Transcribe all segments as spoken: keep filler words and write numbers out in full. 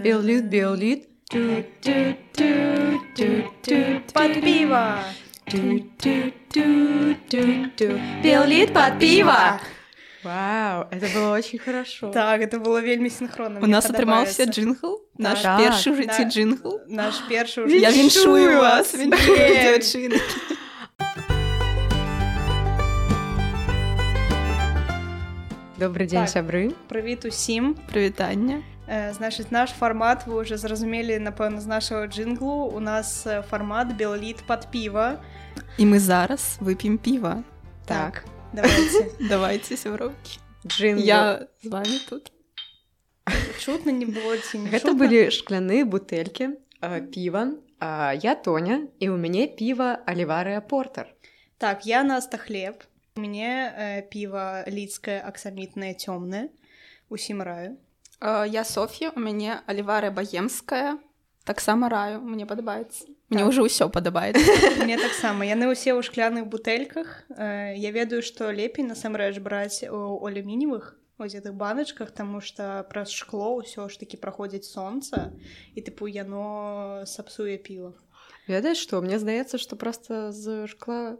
Беллит, беллит. Под пиво. Беллит под пиво. Вау, это было очень хорошо. Так, это было вельмі синхронно. У нас атрымаўся джингл, наш Так. першы ў жыцці Да. джингл. Наш першы Я віншую вас, Блин. віншую, дзяўчыны. Добрый дзень, Так. сябры. Прывіт усім. Прывітанне. Э, Значыць, наш фармат, вы уже зразумелі, напэўна, з нашага джинглу. У нас э, фармат беллит под пиво. І мы зараз вып'ем піва. Так, Давайте. Давайте, сяброўкі. джингл. Я з вами тут. Чутно не было ці не Гэта чутно? былі шкляныя бутэлькі, э, піва. А я Тоня, і ў мяне піва Аліварыя Портер. Так, я Наста Хлеб. У мяне э, піва лідскае аксамітнае цёмнае. Усім раю. Э, Я Соф'я, у мяне аліварыя баемская. Таксама раю, мне падабаецца. Мне Так. ўжо ўсё падабаецца. Мне таксама. Яны ўсе ў шкляных бутэльках. Э, Я ведаю, што лепей насамрэч браць у алюмініевых вось гэтых баначках, таму што праз шкло ўсё ж такі праходзіць сонца, і тыпу яно сапсуе піва. Ведаеш што, мне здаецца, што проста з шкла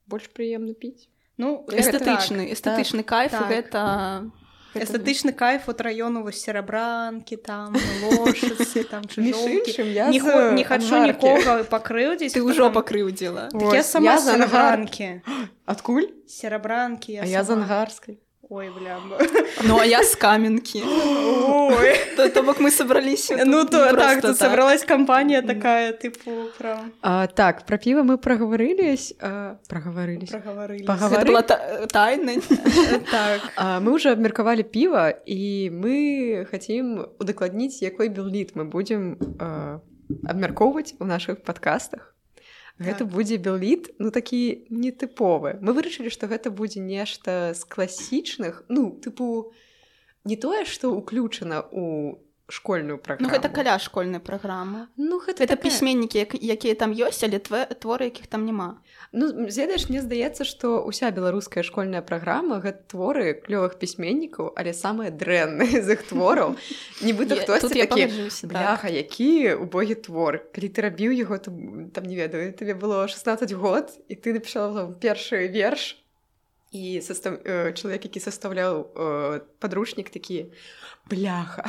больш прыемна піць. Ну, Эстэтычны, так, эстэтычны кайф, так. гэта... Эстэтычны кайф от раёну вось серабранкі, там лошацы, там Між чужоўкі. іншым, я Не, з хо- не хачу Ангаркі. нікога пакрыўдзіць. Ты ўжо пакрыўдзіла. Так я Вось, сама я з з Ангар- серабранкі. Адкуль? Серабранкі я А я з сама. ангарскай. Ой, бля. Ну, а я з каменкі. Ой. То, то бок мы сабраліся. Ну, тут то не так, просто тут собралась компания такая, типу, прям А, так, про пиво мы проговорились. А, проговорились. проговорились. Пога- Гэта была та- тайна. Так. А, мы уже обмерковали пиво, и мы хотим удокладнить, якой беллит мы будем а, обмерковывать у наших подкастах. Гэта Так. будзе беллит, ну такі нетыповы. Мы вырашылі, што гэта будзе нешта з класічных, ну, тыпу, не тое, што ўключана ў школьную Ну, праграму. гэта каля школьнай праграмы. Ну, гэта, Гэта такая- пісьменнікі, як- якія там ёсць, але тве- творы, якіх там няма. Ну, ведаеш, мне здаецца, што ўся беларуская школьная праграма гэта творы клёвых пісьменнікаў, але самыя дрэнныя з іх твораў. Нібыта Я- хтосьці тут я такі, пагаджуся, так. бляха, які убогі твор. Калі ты рабіў яго, то, там, не ведаю, табе было шаснаццаць год, і ты напішала там першы верш, і состав... э, чалавек, які састаўляў э, падручнік, такі, бляха,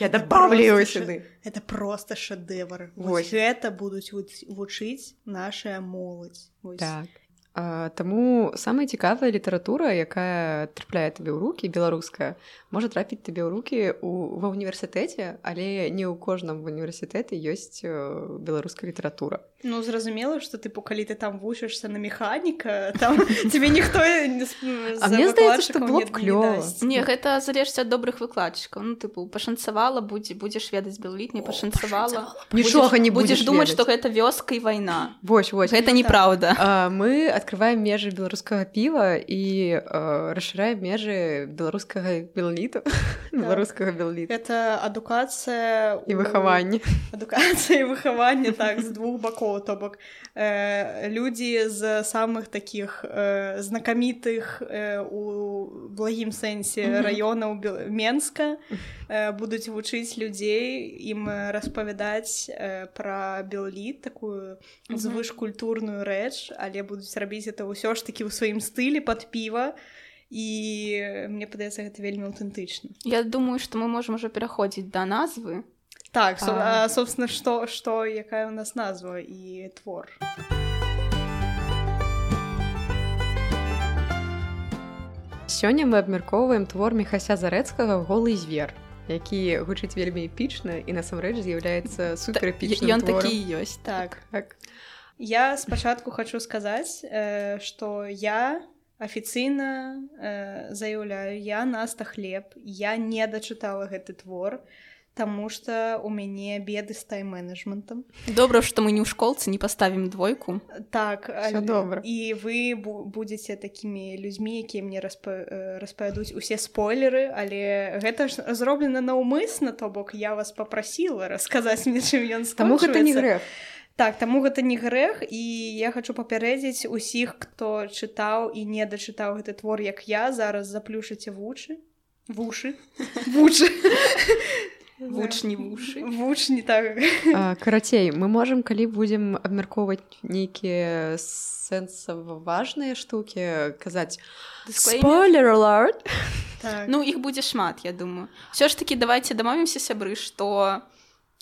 я добавлю его Просто сюды. ш- Это просто шедевр. Вось. Вось гэта будуць вуч- вучыць нашая моладзь. Вось. Так. А, таму самая цікавая літаратура, якая трапляе табе ў рукі, беларуская, можа трапіць табе ў рукі у, ва ўніверсітэце, але не ў кожным універсітэце ёсць э, беларуская літаратура. Ну, зразумела, што тыпу, калі ты там вучышся на механіка, там тебе ніхто не з А мне здаецца, што было б клёва. Не, гэта залежыць ад добрых выкладчыкаў. Ну, тыпу, пашанцавала, будзе, будзеш ведаць беллит, не пашанцавала. Нічога не будзеш будзеш думаць, ведаць. што гэта вёска і вайна. Вось, вось. Гэта неправда. А, мы адкрываем межы беларускага піва і э, расшыраем межы беларускага белліту, беларускага белліту. Это адукацыя І выхаванне. Адукацыя і выхаванне, так, з двух бакоў. То бок э, людзі з самых такіх э, знакамітых э, у благім сэнсе раёнаў Бел- Менска э, будуць вучыць людзей, ім распавядаць э, пра беллит, такую звышкультурную рэч, але будуць рабіць это ўсё ж такі ў сваім стылі пад піва, і мне падаецца, гэта вельмі аўтэнтычна. Я думаю, што мы можам ужо пераходзіць да назвы. Так, со, А. а, собственно, што, што, якая у нас назва і твор. Сёння мы абмяркоўваем твор Міхася Зарэцкага «Голы звер», які гучыць вельмі эпічна і насамрэч з'яўляецца суперэпічным Ён творам. такі і ёсць. Так. Так. Я спачатку хочу сказаць, э, што я афіцыйна э, заяўляю, я Наста Хлеб, я не дачытала гэты твор, таму што у мяне беды з тайм-менеджментам. Добра, што мы не ў школцы не паставім двойку. Так, Всё добра. і вы бу- будзеце такімі людзьмі, якія мне распа- э, распавядуць усе спойлеры, але гэта ж зроблена наўмысна, то бок я вас попрасіла расказаць мне, чым ён скончваецца. Таму гэта не грэх. Так, таму гэта не грэх, і я хачу папярэдзіць усіх, хто чытаў і не дачытаў гэты твор, як я, зараз заплюшыце вушы. Вушы. Вушы. Вучні вушы. Вучні, так. Карацей, мы можам, калі будзем абмяркоўваць нейкія сэнсава-важныя штукі, казаць «Spoiler alert!» Так. Ну, іх будзе шмат, я думаю. Всё ж такі давайте дамовімся, сябры, што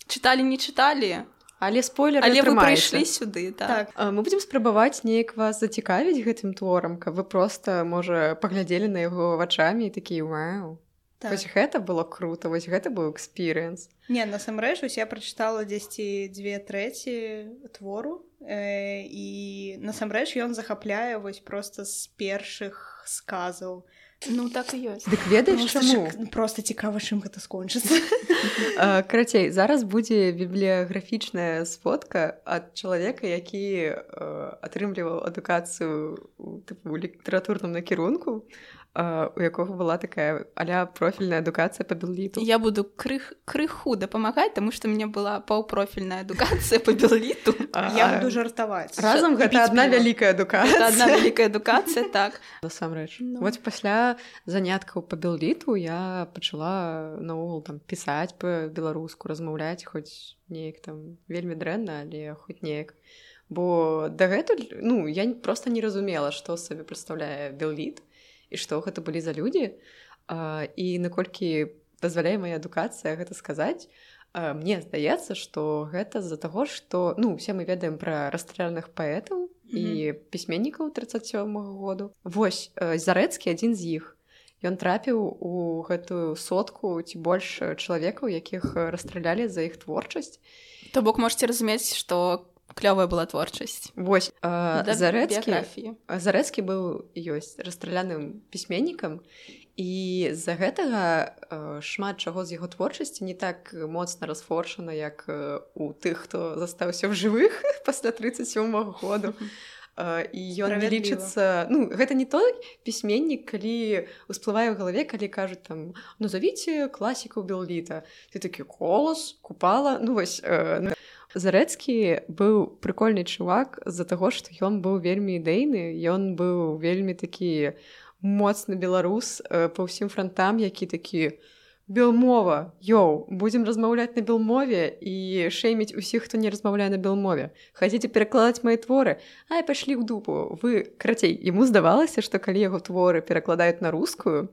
чыталі, не чыталі, але спойлеры але вы атрымаецца. прыйшлі сюды, так. Так. Мы будзем спрабаваць неяк вас зацікавіць гэтым творам, каб вы проста, можа, паглядзелі на яго вачамі і такія «Вау, Так. вось гэта было круто, вось гэта быў экспірыенс». Не, насамрэч, вось я прачытала дзесьці дзве трэці твору, э, і насамрэч ён захапляе вось проста з першых сказаў. Ну, так і ёсць. Дык ведаеш, чаму? Проста цікава, чым гэта скончыцца. Карацей, зараз будзе бібліяграфічная сфотка ад чалавека, які атрымліваў адукацыю у літаратурным накірунку, у якога была такая а-ля профільная адукацыя па белліту. Я буду крых, крыху дапамагаць, таму што ў мяне была паўпрофільная адукацыя па белліту. Я буду жартаваць. Разам гэта адна вялікая адукацыя. Гэта адна вялікая адукацыя, так. Насамрэч. Ну. Вось пасля заняткаў па белліту я пачала наогул там пісаць па-беларуску, размаўляць хоць неяк там вельмі дрэнна, але хоць неяк. Бо дагэтуль, ну, я проста не разумела, што сабе прадстаўляе белліт, і што гэта былі за людзі, і наколькі дазваляе мая адукацыя гэта сказаць, мне здаецца, што гэта з-за таго, што, ну, усе мы ведаем пра расстраляных паэтаў mm-hmm. і пісьменнікаў трыццаць сёмага году. Вось, Зарэцкі адзін з іх. Ён трапіў у гэтую сотку ці больш чалавекаў, якіх расстралялі за іх творчасць. То бок можаце разумець, што клёвая была творчасць. Вось, э, да, Зарэцкі, Зарэцкі быў ёсць расстраляным пісьменнікам, і з-за гэтага э, шмат чаго з яго творчасці не так моцна расфоршана, як э, у тых, хто застаўся ў жывых пасля трыццаць сёмага году. Uh, і ён не лічыцца... Ну, гэта не той пісьменнік, калі ўсплывае ў галаве, калі кажуць там «Назовіце класікаў белліта». Ты такі «Колас», «Купала». Ну, вось... Uh, Зарэцкі быў прыкольны чувак з-за таго, што ён быў вельмі ідэйны, ён быў вельмі такі моцны беларус uh, па ўсім франтам, які такі «Белмова, йоу, будзем размаўляць на белмове і шэйміць усіх, хто не размаўляе на белмове. Хацеце перакладаць мае творы? Ай, пашлі ў дупу». Вы, карацей, яму здавалася, што калі яго творы перакладаюць на рускую,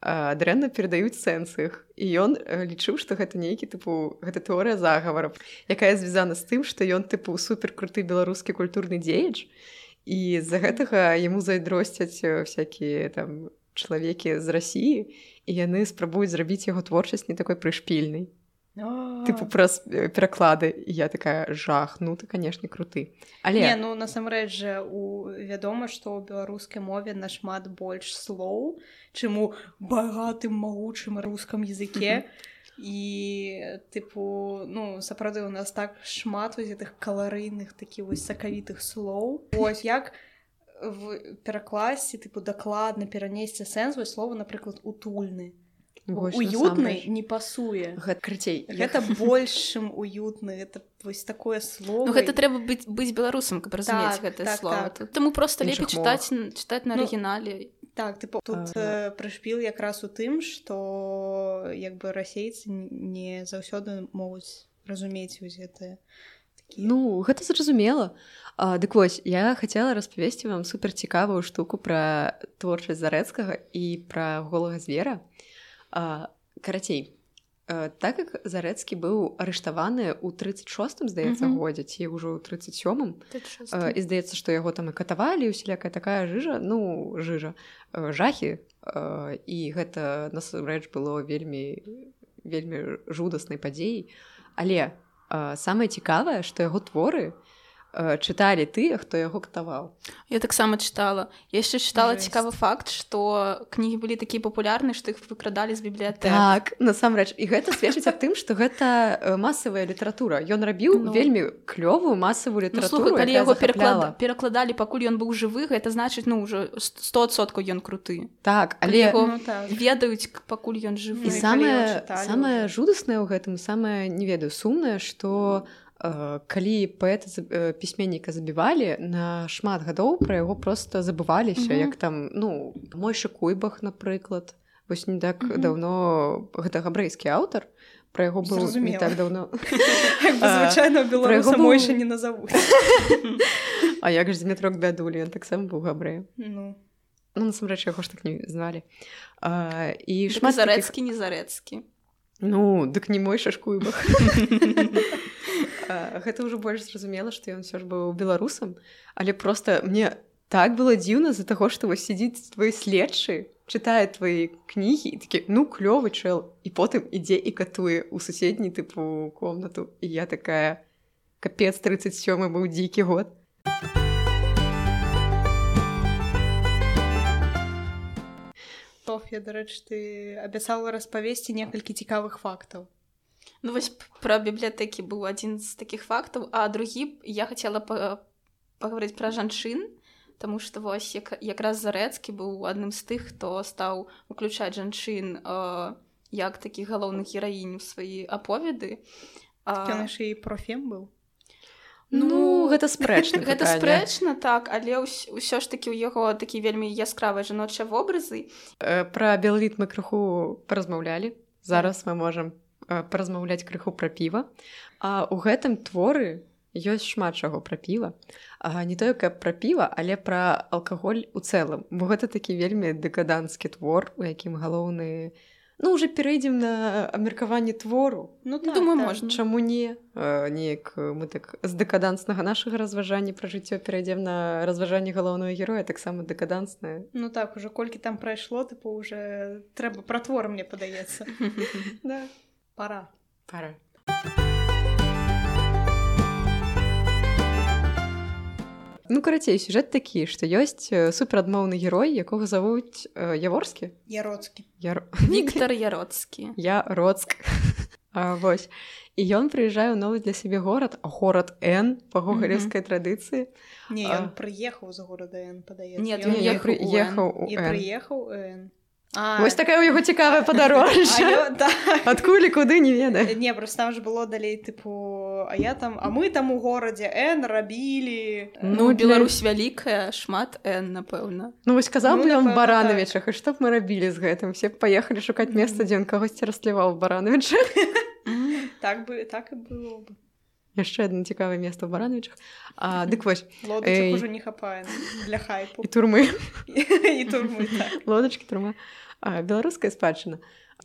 дрэнна перадаюць сэнс іх. І ён лічыў, што гэта нейкі, тыпу, гэта тэорыя загавараў, якая звязана з тым, што ён, тыпу, суперкруты беларускі культурны дзеяч, і з-за гэтага яму зайздросцяць всякія там чалавекі з Расіі, і яны спрабуюць зрабіць яго творчасць не такой прышпільнай. Тыпу праз пераклады. І я такая жах, ну ты, канешне, круты. Але... Не, ну насамрэч жа у... вядома, што ў беларускай мове нашмат больш слоў, чым у багатым, магучым рускам языке. І, тыпу, ну, сапраўды, у нас так шмат вось гэтых каларыйных, такі вось сакавітых слоў. Вось як в перакласці, тыпу, дакладна перанесці сэнс, вось слова, напрыклад, утульны. Вось, уютны не пасуе. Гэта крыцей. Гэта большым уютны, гэта вось такое слово. Ну гэта трэба быць, быць беларусам, каб разумець так, гэтае так, слова. Так. Таму проста лепей Іншых чытаць, чытаць на ну, арыгінале. Так, тыпу, тут э, прышпіл якраз у тым, што як бы расейцы не заўсёды могуць разумець вось гэтае. Ну, гэта зразумела. А, дык вось, я хацела распавесці вам суперцікавую штуку пра творчасць Зарэцкага і пра голага звера. А, карацей, а, так як Зарэцкі быў арыштаваны ў трыццаць шостым, здаецца, mm-hmm. годзе, ці ўжо ў трыццаць сёмым, а, і здаецца, што яго там і катавалі, усялякая такая жыжа, ну, жыжа, а, жахі, а, і гэта, насамрэч, было вельмі, вельмі жудаснай падзеяй. Але а, самае цікавае, што яго творы чыталі тыя, хто яго катаваў. Я таксама чытала. Я яшчэ чытала Жесть. Цікавы факт, што кнігі былі такія папулярныя, што іх выкрадалі з бібліятэк. Так, насамрэч. І гэта сведчыць аб тым, што гэта масавая літаратура. Ён рабіў ну, вельмі клёвую масавую літаратуру, ну, слухай, калі якая яго захапляла. Перакладалі, пакуль ён быў жывы, гэта значыць, ну, ўжо сто адсоткаў ён круты. Так, але... Яго ну, так. ведаюць, пакуль ён жывы. І самае, самае жудаснае ў гэтым, самае, не ведаю, сумнае, што калі паэта пісьменніка забівалі, на шмат гадоў пра яго проста забываліся, mm-hmm. як там, ну, Мойша Куйбах, напрыклад. Вось не так mm-hmm. даўно, гэта габрэйскі аўтар, пра яго быў не так даўно. Як бы звычайна беларуса Мойша не назавуць. А як ж Зметрок Бядулі, ён таксама быў габрэем. Ну, ну насамрэч яго ж так не звалі. І шмат Зарэцкі, не Зарэцкі. Ну, дык не Мойша Куйбах. Гэта ўжо больш зразумела, што ён ўсё ж быў беларусам, але проста мне так было дзіўна з-за таго, што вось сядзіць твой следчы, чытае твои кнігі і такі, ну, клёвы чэл, і потым ідзе і катуе ў суседні тыпу комнату. І я такая, капец, тридцать сёмы быў дзікі год. Соф'я, дарэчы, ты абяцала распавесці некалькі цікавых фактаў. Ну вось пра бібліятэкі быў адзін з такіх фактаў, а другі я хацела па- пагаварыць пра жанчын, таму што вось як, якраз Зарэцкі быў адным з тых, хто стаў уключаць жанчын э, як такіх галоўных гераінь у свае аповеды. Ён яшчэ і профем быў. Ну, ну гэта спрэчна. Гэта спрэчна, так, але ўс- ўсё ж такі ў яго такі вельмі яскравыя жаночыя вобразы. Э, пра белавіт мы крыху паразмаўлялі. Зараз мы можам паразмаўляць крыху пра піва. А ў гэтым творы ёсць шмат чаго пра піва. А не тое, каб пра піва, але пра алкаголь у цэлым. Бо гэта такі вельмі дэкаданскі твор, у якім галоўны... Ну, уже перейдем на абмеркаванне твору. Ну, так, думаю, так. можна. Чаму не? А, неяк мы так з дэкаданснага нашага разважання пра жыццё перейдем на разважанне галоўнага героя, таксама дэкаданснае. Ну так, уже колькі там прайшло, тыпу, уже трэба пра твор, мне падаецца. Да. Пора. Пора. Ну, карацей, сюжэт такі, што ёсць суперадмоўны герой, якога завуць э, Яворскі? Яроцкі. Яр... Віктар Яроцкі. Яроцк. А, вось. І ён прыязджае ў новы для сябе горад, горад Н, па гогалевскай традыцыі. Не, ён а... прыехаў з горада Н, падаецца. Нет, ён ехаў у Н. І прыехаў у Н. А, вось такая ў яго цікавая падарожжа. Адкуль і куды, не ведаю. Не, просто там ж было далей, тыпу, а я там, а мы там у горадзе Н рабілі. Ну, Беларусь вялікая, шмат Н, напэўна. Ну, вось казаў бы ён Баранавічах, і што б мы рабілі з гэтым? Все б паехалі шукаць месца, дзе ён кагосьці растліваў в Баранавічах. Так бы, так і было бы. Яшчэ адно цікавае месца ў Баранавічах. А, дык вось. Лодачак ужо не хапае для хайпу. І турмы. І турмы, так. Лодачкі, турма. А, беларуская спадчына.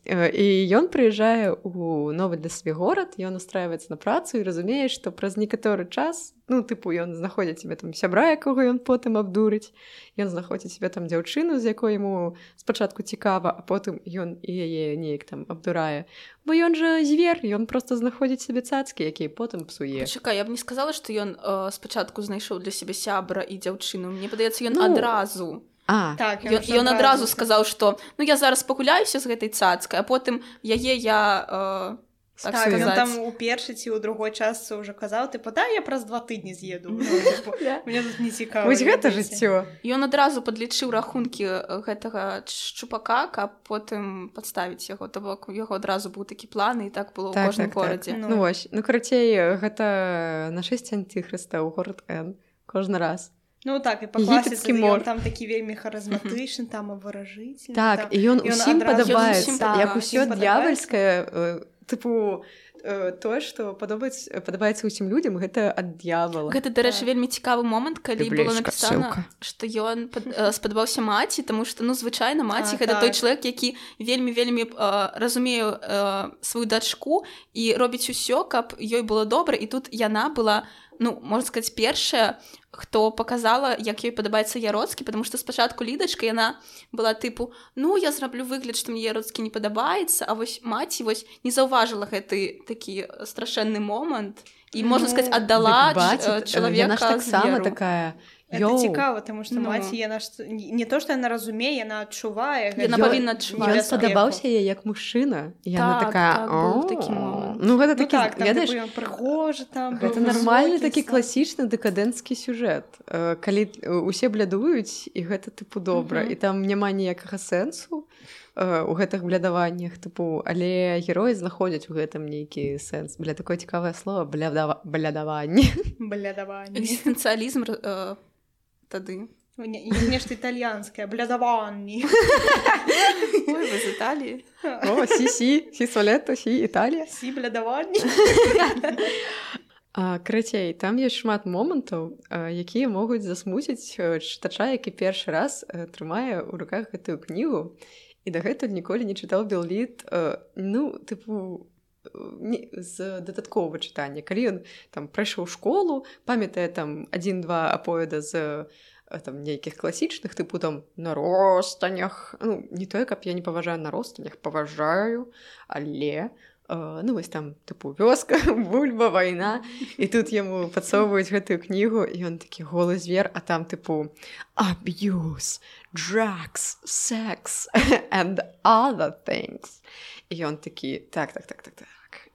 І ён прыязджае ў новы для сябе горад, ён устраиваецца на працу і разумее, што праз некаторы час, ну, тыпу, ён знаходзіць себе там сябра, якога ён потым абдурыць, ён знаходзіць себе там дзяўчыну, з якой яму спачатку цікава, а потым ён і яе неяк там абдурае. Бо ён жа звер, ён проста знаходзіць себе цацкі, якія потым псуе. Пачакай, я б не сказала, што ён э, спачатку знайшоў для сябе сябра і дзяўчыну. Мне падаецца, ён ну... адразу... А, так, ён, ён адразу сказаў, што ну я зараз пагуляюся з гэтай цацкай, а потым яе я э, так, так ён там у першай ці ў другой частцы ўжо казаў, тыпу, да, я праз два тыдні з'еду. Мне тут не цікава. Вось гэта жыццё. Ён адразу падлічыў рахункі гэтага шчупака, каб потым падставіць яго. То бок у яго адразу быў такі план, і так было ў кожным горадзе. Ну вось, ну карацей, гэта нашэсце антыхрыста ў горад Н кожны раз. Ну так, і па класіцы ён там такі вельмі харызматычны, там абваражыцельны. Так, і ён усім падабаецца, як усё д'явальскае, тыпу, тое, што падабаецца ўсім людзям, гэта ад д'явала. Гэта, дарэчы, вельмі цікавы момант, калі было напісана, што ён спадабаўся маці, таму што, ну, звычайна, маці — гэта той чалавек, які вельмі-вельмі разумее сваю дачку і робіць усё, каб ёй было добра, і тут яна была, ну, можна сказаць, першая, хто паказала, як ёй падабаецца Яроцкі, потому што спачатку Лідачка, яна была тыпу, ну, я зраблю выгляд, што мне Яроцкі не падабаецца, а вось маці вось не заўважыла гэты такі страшэнны момант і, можна сказаць, аддала чалавека таксама такая. Это цікава, таму што ну. маці, яна ж, не то, што яна разумее, яна адчувае. Яна павінна адчуваць. Ён спадабаўся яе як мужчына. Яна так, такая, так, быў такі момант. Ну, гэта ну, такі, так, там, ведаеш, ён прыгожы там. Гэта нармальны такі класічны дэкадэнцкі сюжэт. Калі усе блядуюць, і гэта, тыпу, добра. Mm-hmm. І там няма ніякага сэнсу. у гэтых блядаваннях, тыпу, але героі знаходзяць у гэтым нейкі сэнс. Бля, такое цікавае слово, блядава... блядаванне. Блядаванне. Экзістэнцыялізм э, тады. Нешта італьянскае, блядаванне. Ой, вы з Італіі. О, сі-сі, сі-солетто, сі-Італія. Сі-блядаванне. Карацей, там ёсць шмат момантаў, якія могуць засмуціць чытача, які першы раз трымае ў руках гэтую кнігу і дагэтуль ніколі не чытаў Белліт, ну, тыпу, з дадатковага чытання. Калі ён там прайшоў школу, памятае там адзін-два аповеда з там нейкіх класічных, тыпу там на ростанях. Ну, не тое, каб я не паважаю на ростанях, паважаю, але... Uh, ну, вось там, тыпу, вёска, бульба, вайна, і тут яму падсоўваюць гэтую кнігу, і ён такі голы звер, а там, тыпу, abuse, drugs, sex, and other things. І ён такі, так, так, так, так, так,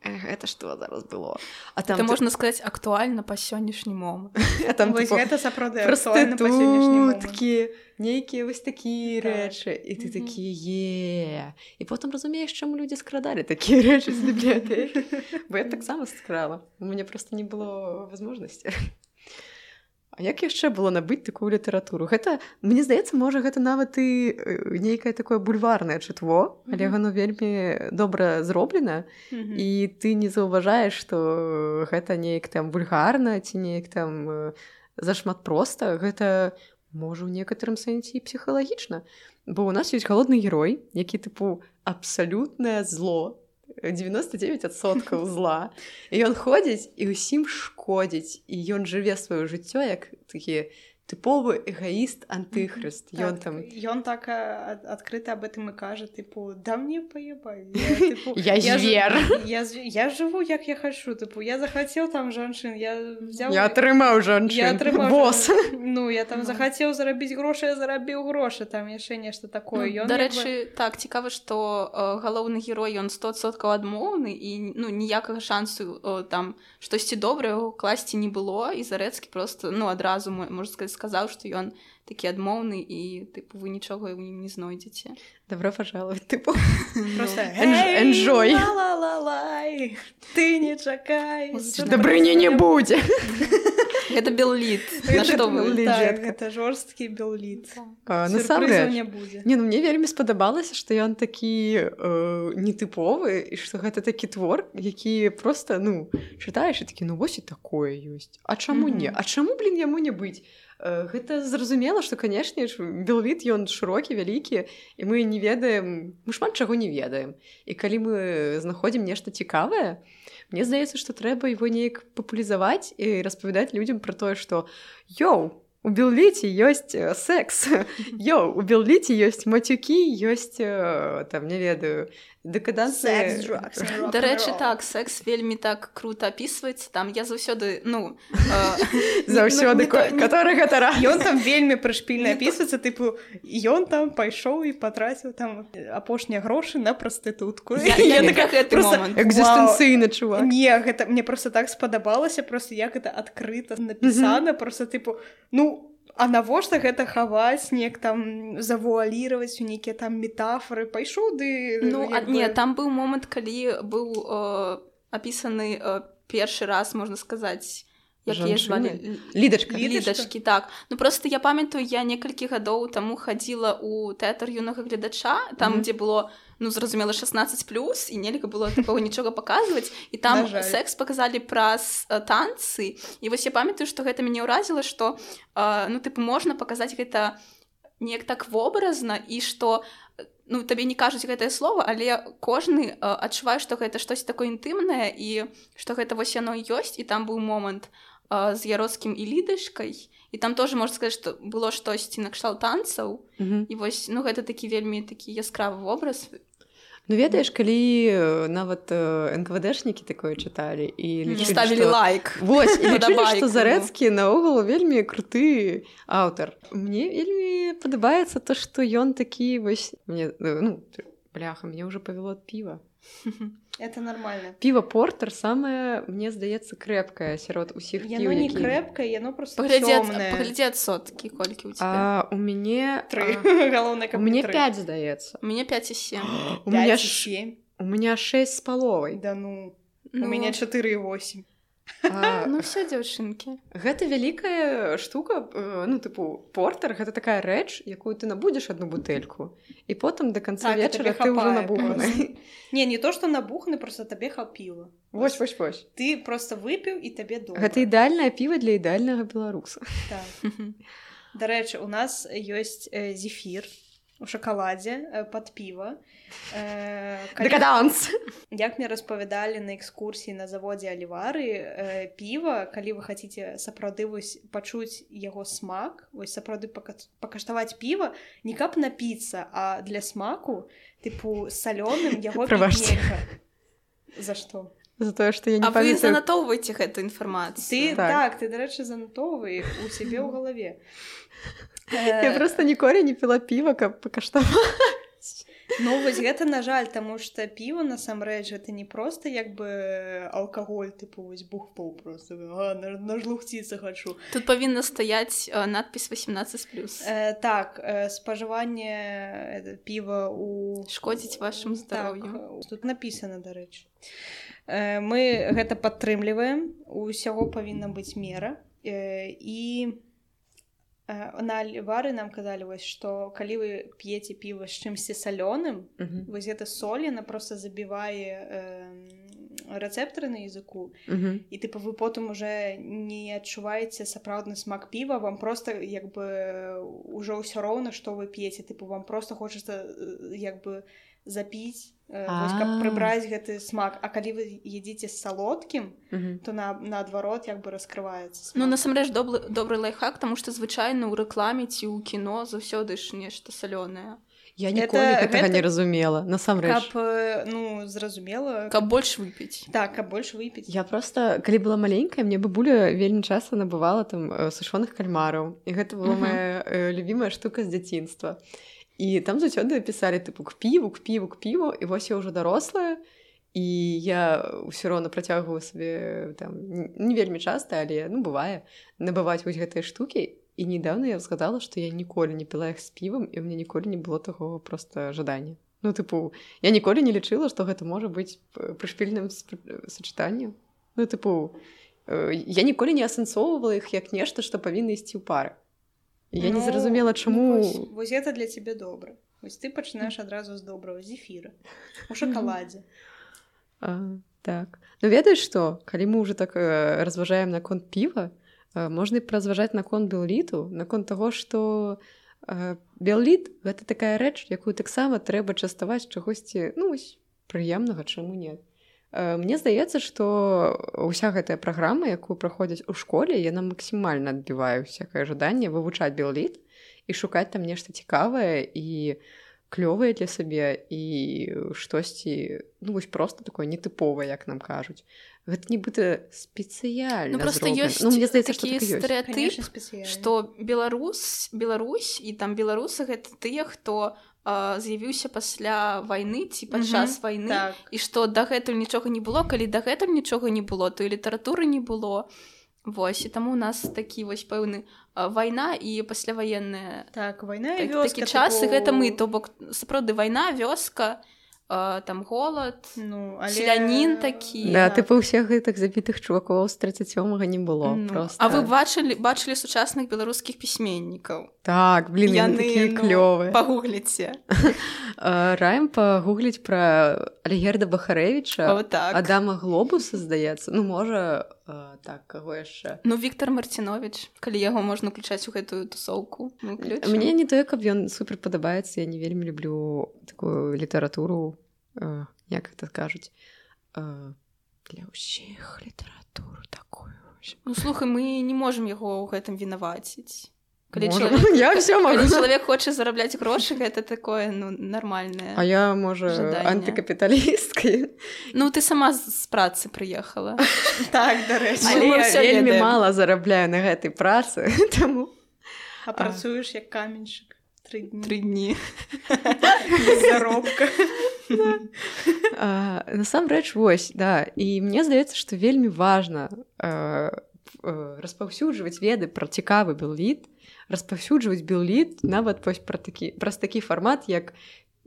гэта што зараз было? А там, это, ты... можна сказаць, актуальна па сённяшні момант. А там, вось, тыпу, гэта сапраўды актуальна па сённяшні момант. Нейкія вось такія рэчы, і ты такі, е. І потым разумееш, чаму людзі скрадалі такія рэчы з бібліятэкі. Бо я таксама скрала. У мяне проста не было возможнасці. А як яшчэ было набыць такую літаратуру? Гэта, мне здаецца, можа, гэта нават і нейкае такое бульварнае чытво, але mm-hmm. яно вельмі добра зроблена, mm-hmm. і ты не заўважаеш, што гэта неяк там вульгарна, ці неяк там зашмат проста. Гэта, можа, у некаторым сэнсе і псіхалагічна. Бо ў нас ёсць галодны герой, які, тыпу, абсалютнае зло, дзевяносто девять адсоткаў зла. І ён ходзіць і ўсім шкодзіць. І ён жыве сваё жыццё як такі тыповы эгоіст антыхрыст. Ён так, там... Ён так адкрыта об этом і кажа, тыпу, да мне паебай. Я, я звер. Я, я, я жыву, як я хачу. Тыпу, я захацеў там жанчын, я взяў... Я атрымаў жанчын. Я атрымаў босс. Ну, я там захацеў зарабіць грошы, я зарабіў грошы, там яшчэ нешта такое. Ну, дарэчы, бы... так, цікава, што э, галоўны герой, ён сто адсоткаў адмоўны, і ну, ніякага шансу э, там штосьці добрае класці не было, і Зарэцкі просто, ну, адразу, можна сказаць, сказаў, што ён такі адмоўны і, тыпу, вы нічога ў ім не знойдзеце. Добро пожаловать, тыпу. Просто энджой. Ла-ла-ла-лай, ты не чакай. Дабрыні не будзе. Гэта Белліт. На што вы? Так, гэта жорсткі Белліт. Насамрэч. не будзе. Не, ну мне вельмі спадабалася, што ён такі нетыповы, і што гэта такі твор, які проста, ну, чытаеш і такі, ну, вось і такое ёсць. А чаму не? А чаму, блін, яму не быць? Гэта зразумела, што, канешне, Белліт, ён шырокі, вялікі, і мы не ведаем, мы шмат чаго не ведаем. І калі мы знаходзім нешта цікавае, мне здаецца, што трэба его неяк папулярызаваць і распавядаць людзям пра тое, што «Йоу, у Белліце ёсць секс, йоу, у Белліце ёсць мацюкі, ёсць, там, не ведаю, дэкадансы». Дарэчы, так, секс вельмі так круто апісваецца, там я заўсёды, ну... Заўсёды, который гэта раз. Ён там вельмі прышпільна апісваецца, тыпу, ён там пайшоў і патраціў там апошнія грошы на прастытутку. Я так гэты момант. Экзістэнцыйны чувак. Не, гэта мне просто так спадабалася, просто як гэта адкрыта напісана, просто тыпу, ну, а навошта гэта хаваць, неяк там завуаліраваць у нейкія там метафоры, пайшоў ды... Ну, а, не, там быў момант, калі быў э, апісаны э, першы раз, можна сказаць, якія звалі... Лідачка. Лідачкі, так. Ну, просто я памятаю, я некалькі гадоў таму хадзіла ў тэатр юнага гледача, там, mm-hmm. дзе было, ну, зразумела, шаснаццаць плюс, і нельга было такого нічога паказваць, і там секс паказалі праз э, танцы, і вось я памятаю, што гэта мяне ўразіла, што, э, ну, тыпу, можна паказаць гэта неяк так вобразна, і што, ну, табе не кажуць гэтае слово, але кожны э, адчувае, што гэта штось такое інтымнае, і што гэта вось яно ёсць, і там быў момант э, з Яроцкім і Лідачкай, і там тоже можна сказаць, што было штосьці накшталт танцаў, mm-hmm. і вось, ну, гэта такі вельмі такі яскравы вобраз. Ну, ведаеш, калі нават эн ка вэ дэшнікі такое чыталі і лічылі, ставілі што... лайк. Вось, і лічылі, што Зарэцкі наогул вельмі круты аўтар. Мне вельмі падабаецца то, што ён такі вось... Мне, ну, бляха, мне ўжо павяло ад піва. Это нормально. Піва Портер самае, мне здаецца, крэпкае сярод усіх піў, яно не які... крэпкае, яно просто цёмнае. Паглядзі ад соткі, колькі ў цябе. А, у мяне... Тры. Галоўнае, каб у мяне тры. пяць, здаецца. У мяне пяць і сем. У мяне семь. У мяне шэсць з паловай. Да ну, ну... у мяне чатыры і восемь. А, ну все, дзяўчынкі. Гэта вялікая штука, ну, тыпу, портер, гэта такая рэч, якую ты набудзеш адну бутэльку, і потым да канца так, вечара ты ўжо набуханы. Не, не то, што набуханы, просто табе хапіла. Вось, вось, вось. Ты просто выпіў, і табе добра. Гэта ідэальнае піва для ідэальнага беларуса. Так. Дарэчы, у нас ёсць э, зефір у шакаладзе э, пад піва. Э, калі... Декаданс! Як мне распавядалі на экскурсіі на заводзе Алівары, э, піва, калі вы хаце сапраўды вось пачуць яго смак, вось сапраўды пака... пакаштаваць піва, не каб напіцца, а для смаку, тыпу, салёным яго піць нельга. За што? За тое, што я не а памятаю... вы занатоўваеце гэту інфармацыю. Ты, так, так ты, дарэчы, занатоўвай у сябе ў галаве. Я просто ніколі не піла піва, каб пакаштаваць. Ну, вось гэта, на жаль, таму што піва, насамрэч, гэта не проста як бы алкаголь, тыпу, вось бухпоў просто, а, на, на жлухціцца хачу. Тут павінна стаяць э, надпіс восемнадцать плюс. Э, так, э, спажыванне э, піва у... Шкодзіць вашаму здароўю. Так, тут напісана, дарэчы. Э, мы гэта падтрымліваем, усяго павінна быць мера, э, і... На Алівары нам казалі, вось, што калі вы п'еце піва з чымсьці салёным, uh-huh. вось гэта соль, яна проста забівае э, рэцэптары на языку, uh-huh. і тыпу вы потым уже не адчуваеце сапраўдны смак піва, вам проста як бы ўжо ўсё роўна, што вы п'еце, тыпу вам проста хочацца як бы запіць, вось, каб прыбраць гэты смак. А калі вы едзіце з салодкім, uh-huh. то на, наадварот як бы раскрываецца смак. Ну, насамрэч, добры, добры лайфхак, таму што звычайна ў рэкламе ці ў кіно заўсёды ж нешта салёнае. Я ніколі гэтага гэта... не разумела, насамрэч. Каб, ну, зразумела... Каб больш выпіць. Так, каб больш выпіць. Я просто, калі была маленькая, мне бабуля вельмі часта набывала там сушоных кальмараў, і гэта была uh-huh. моя э, любімая штука з дзяцінства. І там заўсёды пісалі, тыпу, к піву, к піву, к піву, і вось я ўжо дарослая, і я ўсё роўна працягваю сабе, там, не вельмі часта, але, ну, бывае, набываць вось гэтыя штукі. І недавно я згадала, што я ніколі не піла іх з півам, і ў мяне ніколі не было такого проста жадання. Ну, тыпу, я ніколі не лічыла, што гэта можа быць прышпільным сачытаннем. Ну, тыпу, я ніколі не асэнсоўвала іх як нешта, што павінна ісці ў пары. Я ну, не зразумела, чаму... Ну, вось, вось гэта для цябе добра. Вось ты пачынаеш адразу з добрага зефіра. У шакаладзе. А, так. Ну, ведаеш што? Калі мы ўжо так э, разважаем наконт піва, э, можна і празважаць наконт белліту, наконт таго, што э, белліт — гэта такая рэч, якую таксама трэба частаваць чагосьці, ну, вось, прыемнага, чаму не. Мне здаецца, што ўся гэтая праграма, якую праходзяць у школе, яна максімальна адбівае ўсякае жаданне вывучаць белліт і шукаць там нешта цікавае і клёвае для сабе і штосьці, ну, вось проста такое нетыповае, як нам кажуць. Гэта нібыта спецыяльна ну, просто зроблена. Ёсць ну, мне здаецца, такі стэрэатып, што Беларусь, Беларусь і там беларусы — гэта тыя, хто з'явіўся пасля вайны ці падчас вайны, так. І што дагэтуль нічога не было, калі дагэтуль нічога не было, то і літаратуры не было. Вось, і таму у нас такі вось пэўны вайна і пасляваенная так, вайна і так, вёска, такі час, таку... і гэта мы, то бок сапраўды вайна, вёска, там голад, ну, але... селянін такі. Да, тыпу ўсіх гэтых забітых чувакоў з тридцаць сёмага не было. Ну, просто... А вы бачылі, бачылі сучасных беларускіх пісьменнікаў? Так, блін, яны такія клёвыя. Ну, пагугліце. Раім пагугліць пра Альгерда Бахарэвіча, О, так. Адама Глобуса, здаецца. Ну, можа, так, каго яшчэ? Ну, Віктор Марціновіч, калі яго можна ўключаць у гэтую тусоўку. Мне не тое, каб ён супер падабаецца, я не вельмі люблю такую літаратуру, Uh, як гэта кажуць, uh, для ўсіх літаратуру такую. Ну, слухай, мы не можам яго ў гэтым вінаваціць. Калі чалавек, я ўсё магу. Калі чалавек хоча зарабляць грошы, гэта такое, ну, нармальнае. А я, можа, антыкапіталісткай. Ну, ты сама з працы прыехала. Так, дарэчы. Але я вельмі мала зарабляю на гэтай працы, таму... А працуеш як каменьчык? Тры дні. Тры дні. Без заробка. А, насамрэч вось да і мне здаецца што вельмі важна а, распаўсюджваць веды пра цікавы біўліт, распаўсюджваць біўліт нават вось пра такі праз такі фармат як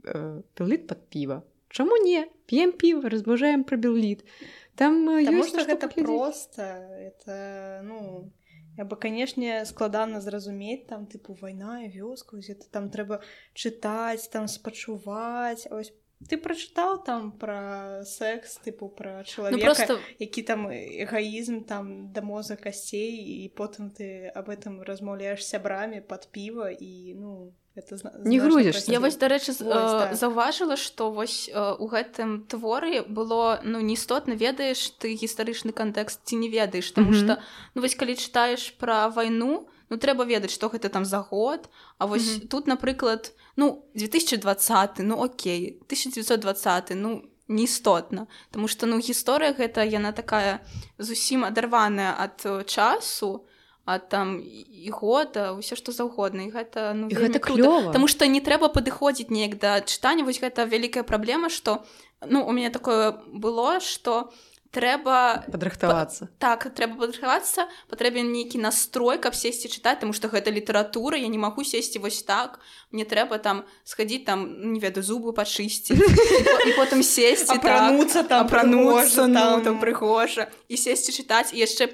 біўліт пад піва. Чаму не п'ем піва, разбаўжаем пра біўліт, там ёсць што гэта проста это ну я бы канешне складана зразумець там тыпу вайна і вёска это там трэба чытаць там спачуваць ось ты прачытаў там пра секс тыпу пра чалавека, ну, просто... які там эгоізм там да мозга касцей і потым ты об этом размаўляеш сябрамі пад піва і ну это зна... не грузішся. Я вось дарэчы так. заўважыла што вось у гэтым творы было ну не істотна ведаеш ты гістарычны кантэкст ці не ведаеш тому mm-hmm. што ну вось калі чытаеш пра вайну ну трэба ведаць што гэта там за год а вось mm-hmm. тут напрыклад ну две тысячи двадцаты ну окей тысяча девятьсот двадцаты ну не істотна тому што ну гісторыя гэта яна такая зусім адарваная ад часу а там і года ўсё што заўгодна і гэта ну і гэта клёва тому што не трэба падыходзіць неяк да чытання вось гэта вялікая праблема што ну у мяне такое было што трэба падрыхтавацца па... так трэба падрыхтавацца патрэбен нейкі настрой каб сесці чытаць тому што гэта літаратура я не магу сесці вось так мне трэба там схадзіць там не ведаю зубы пачысціць і потым сесці апрануцца там апрануцца там прыгожа і сесці чытаць і яшчэ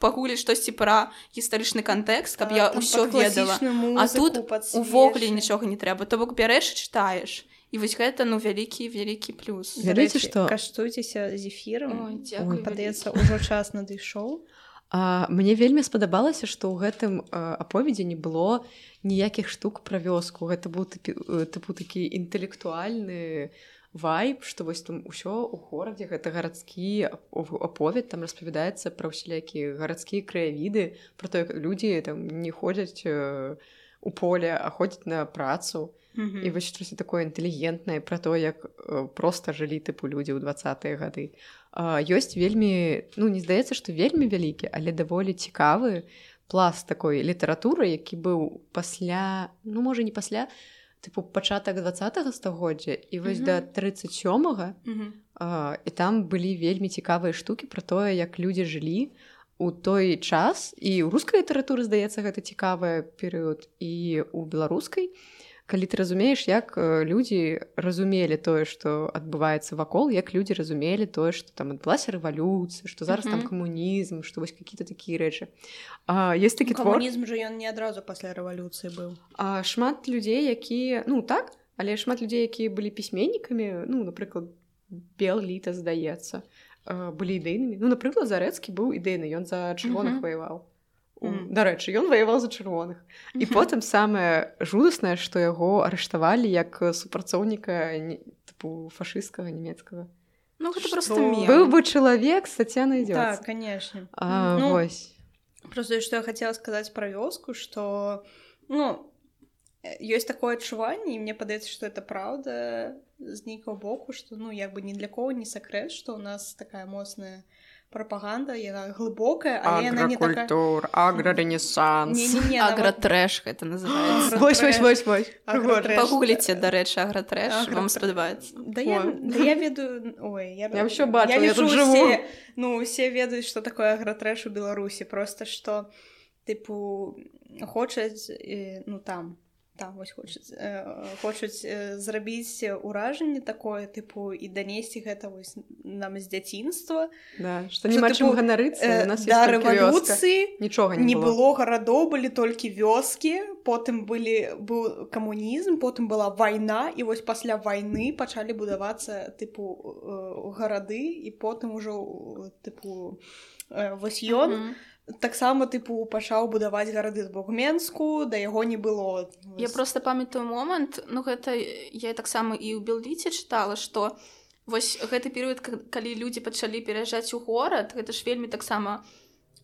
пагуліць штосьці пра гістарычны кантэкст каб я ўсё ведала а тут увогуле нічога не трэба то бок бярэш і чытаеш і вось гэта ну вялікі вялікі плюс ведаеце што каштуйцеся з эфірам падаецца ўжо час надышоў а мне вельмі спадабалася што ў гэтым аповедзе не было ніякіх штук пра вёску гэта быў тыпу такі інтэлектуальны вайб, што вось там усё ў горадзе гэта гарадскі аповед там распавядаецца пра ўсялякія гарадскія краявіды пра то як людзі там не ходзяць у поле а ходзяць на працу mm-hmm. і вось штосьці такое інтэлігентнае пра то як проста жылі тыпу людзі ў дваццатыя гады а, ёсць вельмі ну не здаецца што вельмі вялікі але даволі цікавы пласт такой літаратуры які быў пасля ну можа не пасля тыпу пачатак дваццатага стагоддзя і вось mm-hmm. да трыццаць сёмага mm-hmm. а, і там былі вельмі цікавыя штукі пра тое як людзі жылі у той час і ў рускай літаратуры здаецца гэта цікавы перыяд і у беларускай калі ты разумееш як людзі разумелі тое што адбываецца вакол як людзі разумелі тое што там адбылася рэвалюцыя што зараз mm-hmm. там камунізм што вось какие-то такія рэчы а, ёсць такі твор камунізм жа ён не адразу пасля рэвалюцыі быў а шмат людзей якія ну так але шмат людзей якія былі пісьменнікамі ну напрыклад Бел-Літа здаецца былі ідэйнымі ну напрыклад Зарэцкі быў ідэйны ён за чырвоных mm-hmm. ваяваў Mm. Дарэчы, ён ваяваў за чырвоных. Mm-hmm. І потым самае жудаснае, што яго арыштавалі як супрацоўніка тыпу фашысцкага нямецкага. Ну гэта проста мем. Быў бы чалавек з Таццянай Дзёдз. Так, канешне. А, ну, вось. Просто што я хацела сказаць пра вёску, што ну ёсць такое адчуванне, і мне падаецца, што это праўда з нейкага боку, што ну як бы ні для кого не сакрэт, што ў нас такая моцная прапаганда, яна глыбокая, але яна не такая... Агракультур, аграренесанс. Агратрэш гэта называецца. Вось, вось, вось, вось. Пагугліце, дарэчы, агратрэш, вам спадабаецца. Да я ведаю... Ой, я ўсё бачу, я тут жыву. Ну, усе ведаюць, што такое агратрэш у Беларусі, проста што, тыпу, хочуць, ну, там... там вось хочуць э, хочуць э, зрабіць уражанне такое тыпу і данесці гэта вось нам з дзяцінства да, што няма чым ганарыцца э, да рэвалюцыі нічога не, не было. было гарадоў былі толькі вёскі потым былі быў камунізм потым была вайна і вось пасля вайны пачалі будавацца тыпу э, гарады і потым ужо тыпу э, вось ён mm-hmm. таксама тыпу пачаў будаваць гарады з Богменску, да яго не было. Я просто памятаю момант, ну гэта я таксама і ў Бел-Ліце чытала, што вось гэты перыяд, калі людзі пачалі пераязджаць у горад, гэта ж вельмі таксама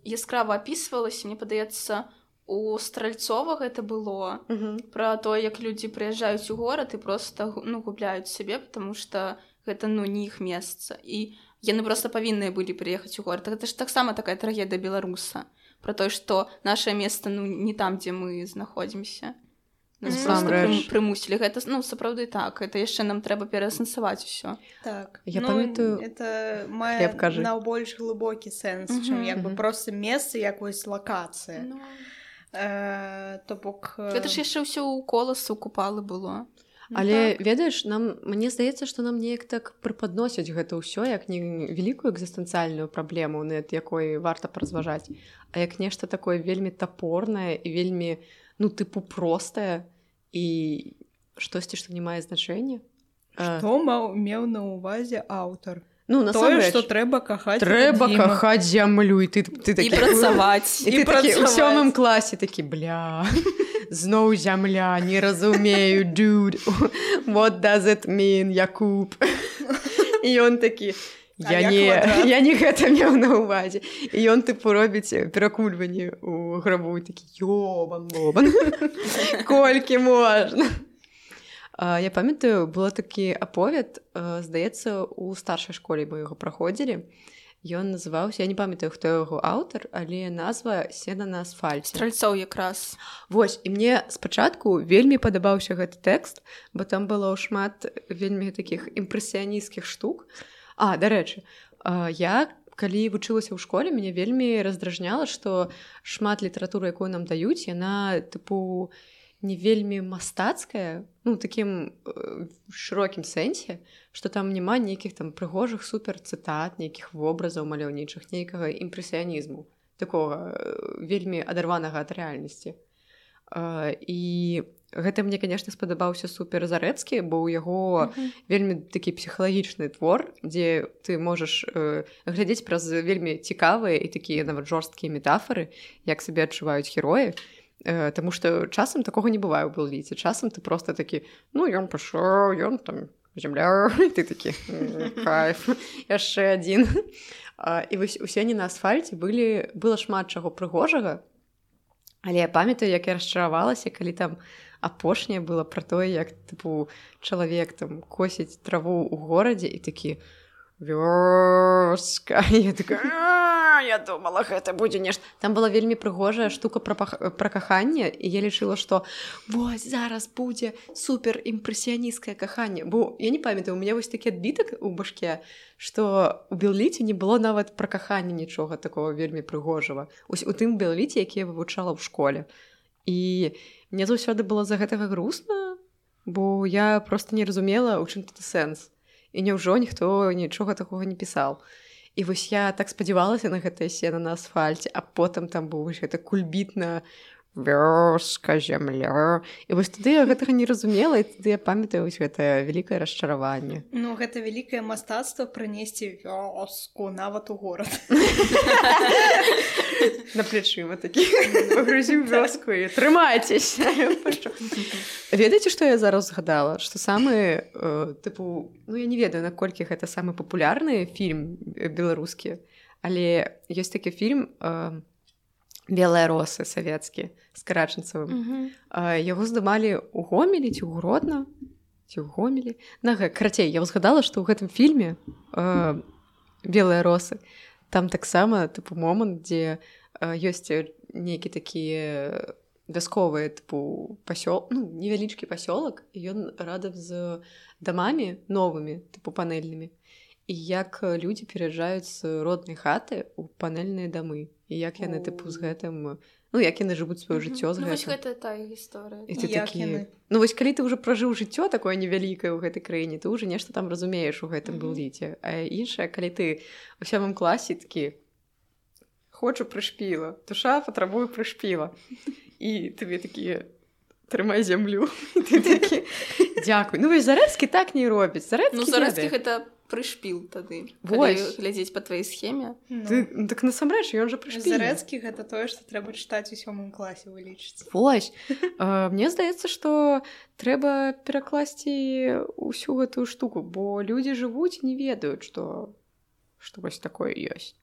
яскрава апісвалася, мне падаецца, у Стральцова гэта было uh-huh. пра тое, як людзі прыязджаюць у горад і проста ну, губляюць сябе, потому што гэта ну не іх месца. І яны проста павінныя былі прыехаць у горад. Гэта ж таксама такая трагедыя беларуса. Пра тое, што нашае месца ну, не там, дзе мы знаходзімся. нас mm-hmm. прымусілі гэта ну сапраўды так это яшчэ нам трэба пераасэнсаваць усё так я ну, памятаю это мае найбольш глыбокі сэнс mm-hmm. чым як бы mm-hmm. просто месца якось лакацыя no. э, то бок гэта ж яшчэ ўсё ў коласу купалы было. Але так. Ведаеш нам мне здаецца што нам неяк так прыпадносяць гэта ўсё як не вялікую экзістэнцыяльную праблему над якой варта паразважаць а як нешта такое вельмі тапорнае і вельмі ну тыпу простае і штосьці што не мае значэння што маў меў на ўвазе аўтар ну тое што трэба кахаць трэба кахаць зямлю і ты ты такі працаваць і ты такі ў сёмым класе такі бля зноў зямля не разумею dude what does it mean Якуб і ён такі я не я не гэта меў на ўвазе і ён тыпу робіць перакульванні ў грабу такі ёбан бобан колькі можна. Я памятаю было такі аповед здаецца у старшай школе мы яго праходзілі ён называўся я не памятаю хто яго аўтар але назва сена на асфальце стральцоў якраз вось і мне спачатку вельмі падабаўся гэты тэкст бо там было шмат вельмі такіх імпрэсіянісцкіх штук. А, дарэчы, я, калі вучылася ў школе, мяне вельмі раздражняла, што шмат літаратуры, якую нам даюць, яна, тыпу, не вельмі мастацкая, ну, такім э, шырокім сэнсе, што там няма нейкіх там прыгожых суперцытат, нейкіх вобразаў маляўнічых, нейкага імпрэсіянізму, такога э, вельмі адарванага ад рэальнасці. Uh, і гэта мне, конечно, спадабаўся супер Зарэцкі, бо ў яго uh-huh. вельмі такі псіхалагічны твор, дзе ты можаш uh, глядзець праз вельмі цікавыя і такія нават жорсткія метафоры, як сабе адчуваюць героі, uh, таму што часам такога не бывае ў Белліце. Часам ты просто такі, ну, ён пашоў, ён там зямля, і ты такі, кайф, яшчэ адзін. Uh, і вось у сені на асфальце былі, было шмат чаго прыгожага, але я памятаю, як я расчаравалася, калі там апошняе было пра тое, як тыпу чалавек там косіць траву ў горадзе і такі вёска. Я такая, я думала, гэта будзе нешта. Там была вельмі прыгожая штука пра, пра каханне, і я лічыла, што вось зараз будзе супер імпрэсіянісцкае каханне. Бо я не памятаю, у мяне вось такі адбітак у башке, што у Белліце не было нават пра каханне нічога такого вельмі прыгожага. Ось у тым Белліце, які я вывучала ў школе. І мне заўсёды было за гэтага грустна, бо я проста не разумела, у чым тут сэнс. І няўжо ніхто нічога такога не пісаў. І вось я так спадзявалася на гэтае сена на асфальце, а потым там быў вось гэта кульбітна вёска, зямля. І вось тады я гэтага не разумела, і тады я памятаю вось гэтае вялікае расчараванне. Ну, гэта вялікае мастацтва прынесці вёску нават у горад. На плечыма такі пагрузіў вёску і трымайцеся. Ведаеце, што я зараз згадала? Што самы, э, тыпу, ну я не ведаю, наколькі гэта самы папулярны фільм беларускі, але ёсць такі фільм э, «Белыя росы» савецкі з Карачэнцавым. Uh-huh. Э, яго здымалі ў Гомелі ці ў Гродна, ці ў Гомелі. На, карацей, я згадала, што ў гэтым фільме э, «Белыя росы» там таксама тыпу момант, дзе э, ёсць нейкі такія вясковыя тыпу пасёл, ну, невялічкі пасёлак, і ён радам з дамамі новымі, тыпу панельнымі. І як людзі пераязджаюць з роднай хаты ў панельныя дамы. І як яны тыпу з гэтым, ну, як яны жывуць сваё жыццё з гэтым. Ну, вось гэта тая гісторыя. І ты такі... Ну, вось калі ты ўжо пражыў жыццё такое невялікае ў гэтай краіне, ты ўжо нешта там разумееш у гэтым Белліце. А іншае, калі ты у сёмым класе такі хочу прышпіла, душа патрабую прышпіла. І табе такі трымай зямлю. І ты такі дзякуй. Ну, вось Зарэцкі так не робіць. Зарэцкі ну, Зарэцкі гэта прышпіл тады, калі глядзець па тваёй схеме. Ну. Ты, так насамрэч, ён жа прышпіл. Зарэцкі гэта тое, што трэба чытаць у сёмым класе, вы лічыце. Вось. uh, мне здаецца, што трэба перакласці ўсю гэтую штуку, бо людзі жывуць і не ведаюць, што, што вось такое ёсць.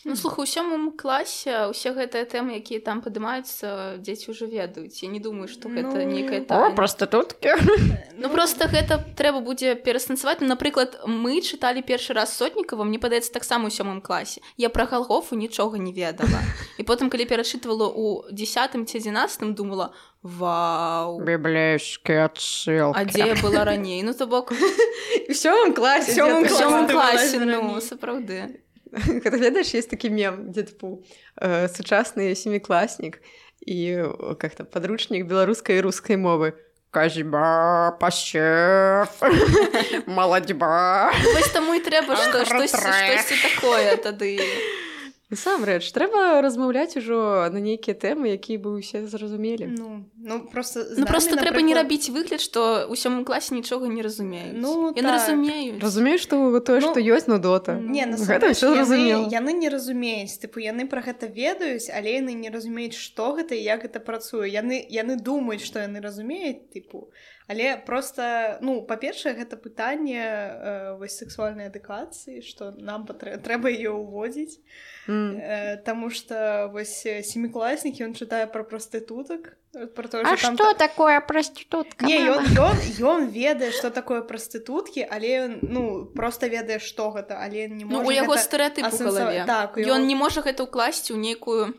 Ну, слухай, у сёмым класе ўсе гэтыя тэмы, якія там падымаюцца, дзеці ўжо ведаюць. Я не думаю, што гэта Ну, нейкая тайна. О, прастытуткі. Ну, просто гэта трэба будзе перастанцаваць. Ну, напрыклад, мы чыталі першы раз Сотнікава, мне падаецца, таксама ў сёмым класе. Я пра Галгофу нічога не ведала. І потым, калі перачытвала ў дзесятым ці адзінаццатым, думала, вау. Біблейскія адсылкі. А дзе я была раней? Ну, то бок... У сёмым класе. У сёмым У сёмым класе, класе, раней. ну, сапраўды. Когда, ведаешь, есть такой мем, где, типа, э, сучасный семиклассник и э, как-то подручник белорусской и русской мовы. Казьба, пасчев, молодьба. Вось таму і трэба што, штосьці, штосьці такое тады. Насамрэч, трэба размаўляць ужо на нейкія тэмы, якія бы ўсе зразумелі. Ну, ну просто Ну, просто трэба не рабіць выгляд, што ў сёмым класе нічога не разумеюць. Ну, Яны так. разумеюць. Разумееш, што тое, Ну, што ёсць, ну, дота. Не, Гэта ўсё зразумела. яны, яны не разумеюць, тыпу, яны пра гэта ведаюць, але яны не разумеюць, што гэта і як гэта працуе. Яны, яны думаюць, што яны разумеюць, тыпу, але просто, ну, па-першае, гэта пытанне э, вось сексуальнай адукацыі, што нам патрэ... трэба яе ўводзіць, Mm. э, таму што вось семікласнік, ён чытае пра прастытутак, про то, А там што та... такое прастытутка? Не, ён, ён, ён ведае, што такое прастытуткі, але ён, ну, просто ведае, што гэта, але не можа Ну, у яго гэта стэрэатып у асэнсава- галаве. Так, у Ён яго- не можа гэта ўкласці ў нейкую,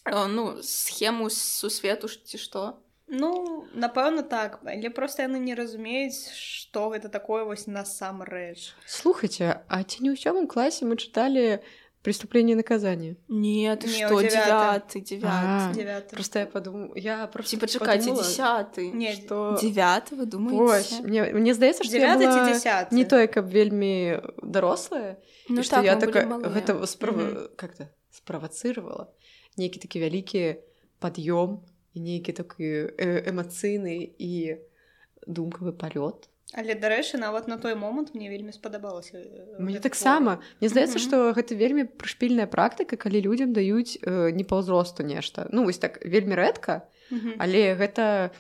э, ну, схему сусвету ж ці што. Ну, напэўна, так, але просто яны не разумеюць, што гэта такое вось насамрэч. Слухайте, а ці не ў сёмым класе мы чыталі «Преступление и наказание»? Не, ты Не, што, у девятым. дзевяты, дзевяты. А, Девяты. Просто я подумала, я просто Ці пачакайце, подумала, дзесяты. Не, што... Дзевяты, вы Вось, думаеце? мне, мне здаецца, што я Девяты ці была дзесяты? не той, каб вельмі дарослая, Ну і што так, я мы такая, былі малыя. гэта справа... Мгм. как-то справацыравала нейкі такі вялікі пад'ём і нейкі такі э, эмацыйны і думкавы палёт. Але, дарэчы, нават на той момант мне вельмі спадабалася. Мне таксама. Мне здаецца, Мгм. што гэта вельмі прышпільная практыка, калі людзям даюць э, не па ўзросту нешта. Ну, вось так, вельмі рэдка, але гэта,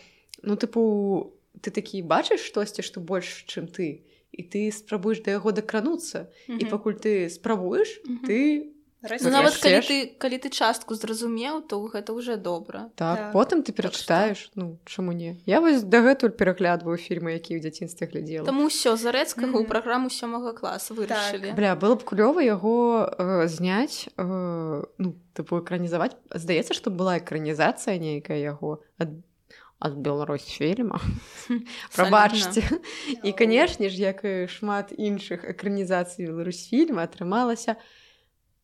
ну, тыпу, ты такі бачыш штосьці, што больш, чым ты, і ты спрабуеш да яго дакрануцца, і пакуль ты спрабуеш, Мгм. ты... Ну, нават калі Растеш. ты, калі ты частку зразумеў, то гэта ўжо добра. Так, Так. потым ты перачытаеш, ну, чаму не? Я вось дагэтуль пераглядваю фільмы, якія ў дзяцінстве глядзела. Таму ўсё, Зарэцкага ў Мгм. праграму сёмага класа вырашылі. Бля, было б клёва яго э, зняць, э, ну, тыпу экранізаваць. Здаецца, што была экранізацыя нейкая яго ад, ад Беларусьфільма. Прабачце. І, канешне ж, як і шмат іншых экранізацый Беларусьфільма, атрымалася...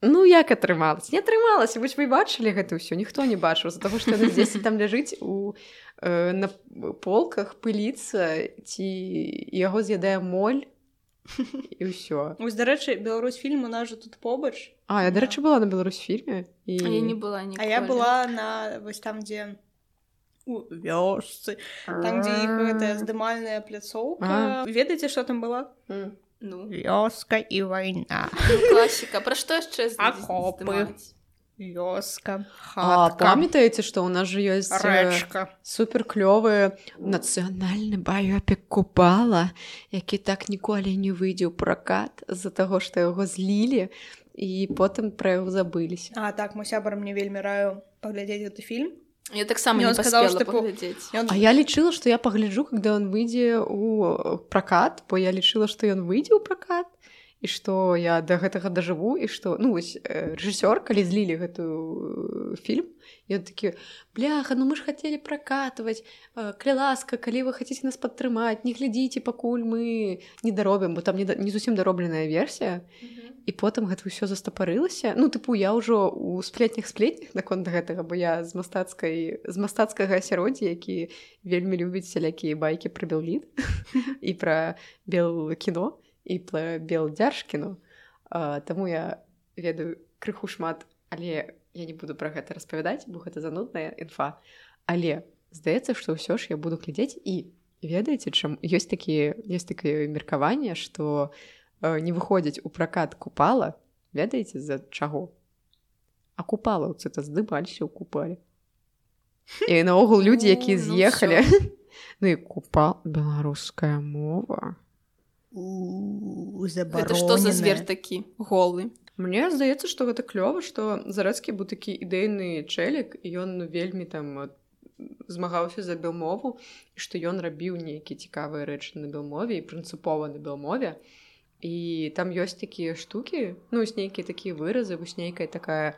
Ну, як атрымалася? Не атрымалася. Вось вы бачылі гэта ўсё? Ніхто не бачыў, з-за таго, што яна здесь там ляжыць у, э, на полках, пыліцца, ці яго з'ядае моль, і ўсё. Вось, дарэчы, Беларусьфільм у нас жа тут побач. А, я, дарэчы, была на Беларусьфільме. І... А я не была ніколі. А я была на вось там, дзе у вёсцы, там, дзе іх гэтая здымальная пляцоўка. Ведаеце, што там была? М. Ну, Вёска і вайна. ну, класіка. Пра што яшчэ Акопы. здымаць? Вёска, А, хатка, памятаеце, што ў нас жа ёсць э, рэчка. супер клёвы нацыянальны баёпік Купала, які так ніколі не выйдзе ў пракат з-за таго, што яго злілі, і потым пра яго забыліся. А, так, мой сябар мне вельмі раю паглядзець гэты фільм. Я таксама Ён не сказаў, паспела што, типу, паглядзець. Ён... А я лічыла, што я пагляджу, когда ён выйдзе ў пракат, бо я лічыла, што ён выйдзе ў пракат, і што я да гэтага дажыву, і што, ну, вось, э, рэжысёр, калі злілі гэту э, фільм, ён такі, бляха, ну мы ж хацелі пракатваць, э, калі ласка, калі вы хацеце нас падтрымаць, не глядзіце, пакуль мы не даробім, бо там не, да, не зусім даробленая версія, і потым гэта ўсё застапарылася. Ну, тыпу, я ўжо ў сплетнях сплетнях наконт гэтага, бо я з мастацкай, з мастацкага асяроддзя, які вельмі любіць сялякія байкі пра Беллід і пра Белкіно, і пра Белдзяржкіно. Таму я ведаю крыху шмат, але я не буду пра гэта распавядаць, бо гэта занудная інфа. Але здаецца, што ўсё ж я буду глядзець, і ведаеце, чым ёсць такія, ёсць такае меркаванне, што не выходзіць у пракат Купала, ведаеце, з-за чаго? А купалаўцы-то здымаліся ў Купале. І наогул людзі, якія з'ехалі. Ну і Купал, беларуская мова. У, Гэта што за звер такі? Голы. Мне здаецца, што гэта клёва, што Зарэцкі быў такі ідэйны чэлік, і ён вельмі там змагаўся за белмову, і што ён рабіў нейкія цікавыя рэчы на белмове і прынцыпова на белмове. І там ёсць такія штукі, ну, вось нейкія такія выразы, вось нейкая такая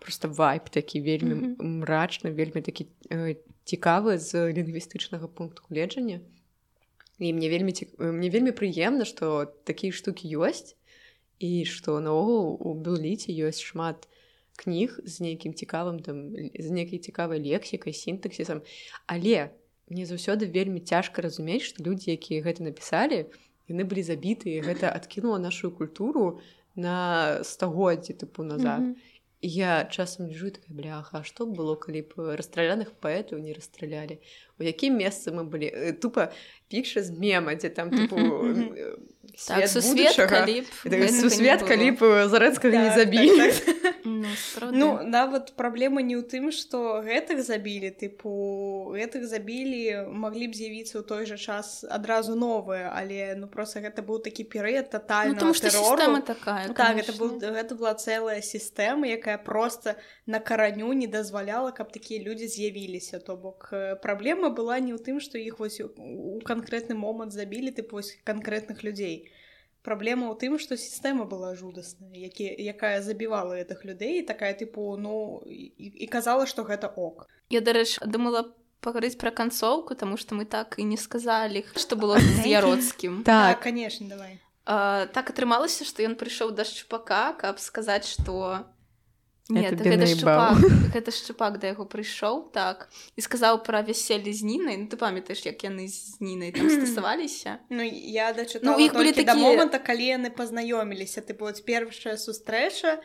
просто вайб такі вельмі mm-hmm. мрачны, вельмі такі э, цікавы з лінгвістычнага пункту гледжання. І мне вельмі, мне вельмі прыемна, што такія штукі ёсць, і што наогул у Белліце ёсць шмат кніг з нейкім цікавым там, з нейкай цікавай лексікай, сінтаксісам. Але мне заўсёды вельмі цяжка разумець, што людзі, якія гэта напісалі, яны былі забіты, і гэта адкінула нашу культуру на стагоддзі тыпу назад. Mm-hmm. І я часам лежу такая, бляха, а што б было, калі б расстраляных паэтаў не расстралялі? У якім месцы мы былі? Тупа пікша з мема, дзе там тыпу mm-hmm. свет так, будучага. Сусвет, калі б Зарэцкага так, не забілі. Так, так. Ну, ну, нават праблема не ў тым, што гэтых забілі, тыпу, гэтых забілі, маглі б з'явіцца ў той жа час адразу новыя, але, ну, проста гэта быў такі перыяд татальнага ну, тэрору. Сістэма такая, так, гэта, был, гэта была цэлая сістэма, якая проста на караню не дазваляла, каб такія людзі з'явіліся. То бок праблема была не ў тым, што іх вось у канкрэтны момант забілі, тыпу, вось канкрэтных людзей. Праблема ў тым, што сістэма была жудасная, які, якая забівала гэтых людзей, такая, тыпу, ну, і, і казала, што гэта ок. Я, дарэчы, думала пагаварыць пра канцоўку, таму што мы так і не сказалі, што было з Яроцкім. Так, канешне, давай. А, так атрымалася, што ён прыйшоў да Шчупака, каб сказаць, што... Не, так гэта Шчупак, гэта Шчупак да яго прыйшоў, так, і сказаў пра вяселле з Нінай. Ну, ты памятаеш, як яны з Нінай там стасаваліся? Ну, я дачытала ну, толькі такі... да моманта, калі яны пазнаёміліся. Тыпу, вот першая сустрэча,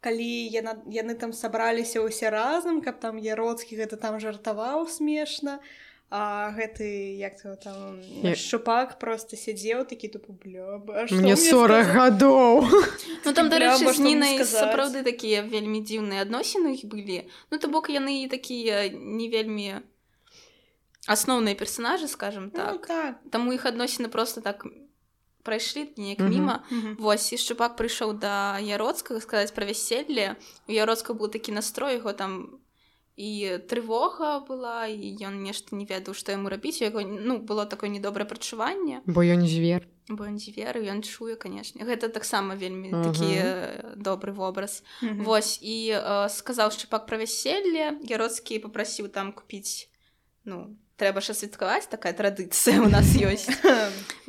калі яна, яны там сабраліся ўсе разам, каб там Яроцкі гэта там жартаваў смешна, а гэты, як то там, я... Шчупак просто сядзеў такі, тупо, бля, а што мне сорок гадоў. Ну, там, дарэчы, з Нінай сапраўды такія вельмі дзіўныя адносіны іх былі. Ну, то бок, яны такія не вельмі асноўныя персанажы, скажем так. Ну, так. Таму іх адносіны просто так прайшлі неяк міма. Mm-hmm. Вось, і Шчупак прыйшоў да Яроцкага сказаць пра вяселле. У Яроцкага быў такі настрой, яго там і трывога была, і ён нешта не ведаў, што яму рабіць. У яго, ну, было такое недобрае прачуванне. Бо ён звер. Бо ён звер, і ён чуе, канешне. Гэта таксама вельмі uh-huh. такі добры вобраз. Uh-huh. Вось, і э, сказаў Шчупак пра вяселле. Яроцкі папрасіў там купіць, ну, трэба ж святкаваць, такая традыцыя у нас ёсць.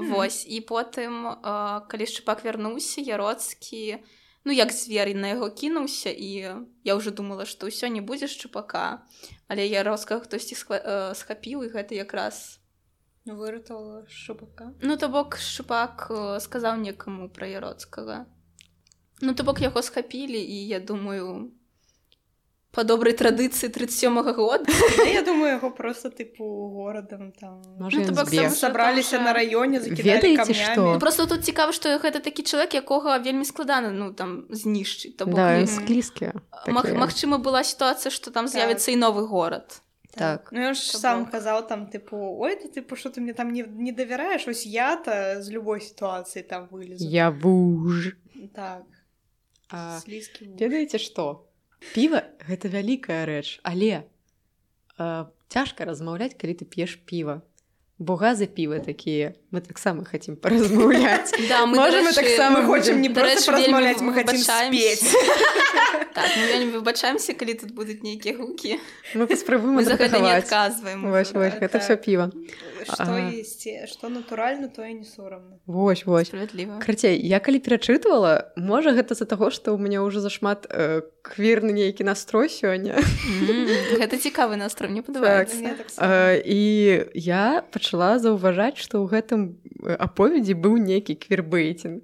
Вось, і потым, э, калі Шчупак вярнуўся, Яроцкі... Ну, як звер на яго кінуўся, і я ўжо думала, што ўсё не будзе Шчупака, але Яроцкага хтосьці схапіў, і гэта якраз... Выратавала Шчупака? Ну, то бок Шчупак сказаў некаму пра Яроцкага. Ну, то бок яго схапілі, і я думаю... Па добрай традыцыі тридцать сёмага года. Я думаю, яго просто, тыпу, горадам там... Можа, ну, ён збег. Сабраліся на раёне, закідалі камнямі. Што? Ну, просто тут цікава, што гэта такі чалавек, якога вельмі складана, ну, там, знішчыць. Да, ён склізкі. Маг, магчыма, была сітуацыя, што там з'явіцца так. І новы горад. Так. Ну, ён ж сам казаў там, тыпу, ой, ты, тыпу, што ты мне там не, не давяраеш? Ось я-то з любой сітуацыі там вылезу. Я вуж. Так. А, ведаеце што? Піва — гэта вялікая рэч, але э, цяжка размаўляць, калі ты п'еш піва. Бо газы піва такія. Мы таксама хацім паразмаўляць. Да, мы, Можа, дарэчы, мы таксама хочам не проста паразмаўляць, мы хацім спець. Так, мы вельмі выбачаемся, калі тут будуць нейкія гукі. Мы паспрабуем адрэагаваць. Мы за гэта не адказваем. Вось, вось, гэта ўсё піва. Што есці, што натуральна, тое не сорамна. Вось, вось. Справядліва. Карацей, я калі перачытвала, можа, гэта з-за таго, што ў мяне ўжо зашмат э, квірны нейкі настрой сёння. Mm, гэта цікавы настрой, мне падабаецца. Так. Э, і я пачала заўважаць, што ў гэтым аповедзі быў нейкі квірбэйтінг.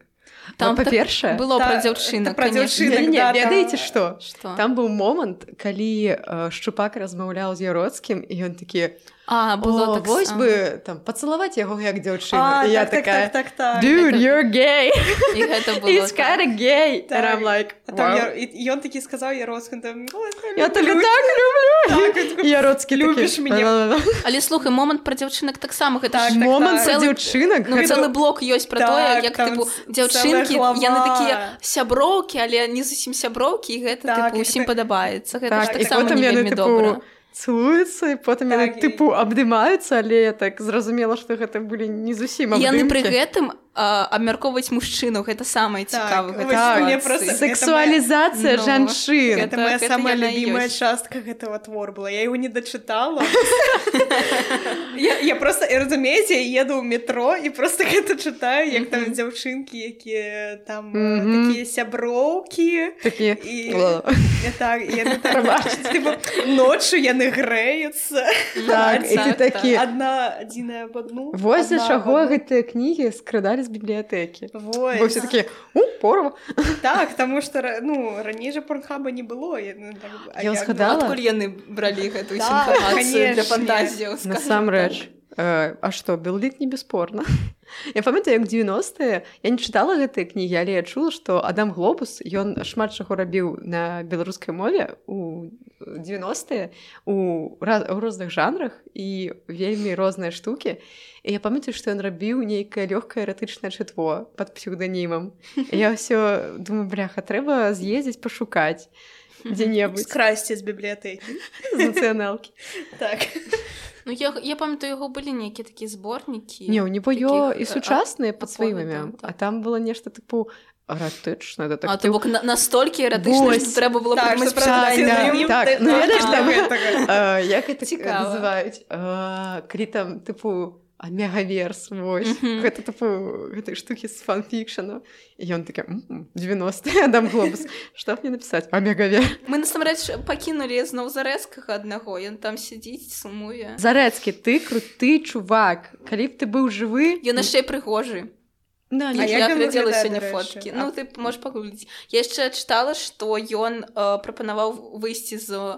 Там, па-першае, так было пра дзяўчынак, пра дзяўчынак, не, не, да, ведаеце што? Што? Там быў момант, калі э, Шчупак размаўляў з Яроцкім, і ён такі: А, было О, так вось само. бы там пацалаваць яго як дзяўчына. А, І я так, так, такая, так, так, так. dude, Это- you're gay. І гэта было He's так. kinda gay. Так. And I'm like, А там wow. я, і, і ён такі сказаў Яроцкін, там, «Ой, Я тебе люблю так люблю. Так, він такий, І Яроцкий «Любиш такий, мене?» «Ла-ла-ла». Але слухай, момант пра дзяўчынак таксама гэта Так, ж так, Момант так. за Цэлы- дзяўчынак. Ну, гэта- цэлы блок ёсць пра Так, тое, як там тыпу ц- дзяўчынкі, цэлая глава. яны такія сяброўкі, але не зусім сяброўкі, і гэта Так, тыпу і ўсім гэта- падабаецца. Гэта Так, ж і таксама потым не яны, вельмі типу, добра. цілуюцца, і потым яны, Так, і- типу, абдымаюцца, але я так зразумела, што гэта былі не зусім І яны пры абдымкі. гэтым а, абмяркоўваць мужчыну, гэта самае Так, цікавае вось гэта мне сітуацыі. просто- Сексуалізацыя Ну, жанчын. Это Это- моя это самая яна і любимая ёсць. частка гэтага твора была. Я его не дочитала. я, я просто, разумееце, я еду ў метро і просто гэта читаю, як там дзяўчынкі, якія там э, Мгм. такія сяброўкі. Такі, І, «Ла». і так, і яны так, типу, ноччу яны грэюцца. Так, і ты так, такі, Одна адзіная об одну. вось за одна чаго об одну. гэтыя кнігі скрадалі з бібліятэкі. Вось. Бо все такі, у, порва. Так, таму што ра- ну, раней жа порнхаба не было. Я, ну, так, а Я як- згадала. Адкуль яны бралі гэтую Так, інфармацыю для канешне. фантазіяў, скажам Насамрэч. так. Э, А што, Белліт не бесспорна. Я памятаю, як дзевяностыя, я не чытала гэтыя кнігі, але я чула, што Адам Глобус, ён шмат чаго рабіў на беларускай мове у дзевяностыя у, раз- у розных жанрах і вельмі розныя штукі. І я памятаю, што ён рабіў нейкае лёгкае эратычнае чытво пад псеўданімам. І я ўсё думаю, бляха, трэба з'ездзіць пашукаць дзе-небудзь Скрасці з бібліятэкі. з нацыяналкі. Так. Ну, я, я памятаю, яго былі нейкія такія зборнікі. Не, у него ё таких, і сучасныя пад сваім аповідаў, імем, так. а там было нешта тыпу эратычна, А то дэтектыў. бок на, настолькі эратычна, Вось. што трэба было Так, прыдумаць што Так, правда, да, псевдонім, так, ты- ну так, ведаеш так, там, гэтага. э, як гэта Цікава. называюць, Э, калі там тыпу мегаверс, вось, Мгм. гэта тыпу гэтай штукі з фанфікшану. І ён такі, «М, дзевяностыя, Адам Глобус, што мне напісаць? Амегавер. Мы насамрэч пакінулі зноў зарэзкага аднаго, ён там сядзіць, сумуе. Зарэцкі, ты круты чувак. Калі б ты быў жывы... Ён яшчэ і прыгожы. Да, А не, як Я ён глядзела выглядае, сёння дарэчы? фоткі. А- Ну, ты можаш пагугліць. Я яшчэ чытала, што ён э, прапанаваў выйсці з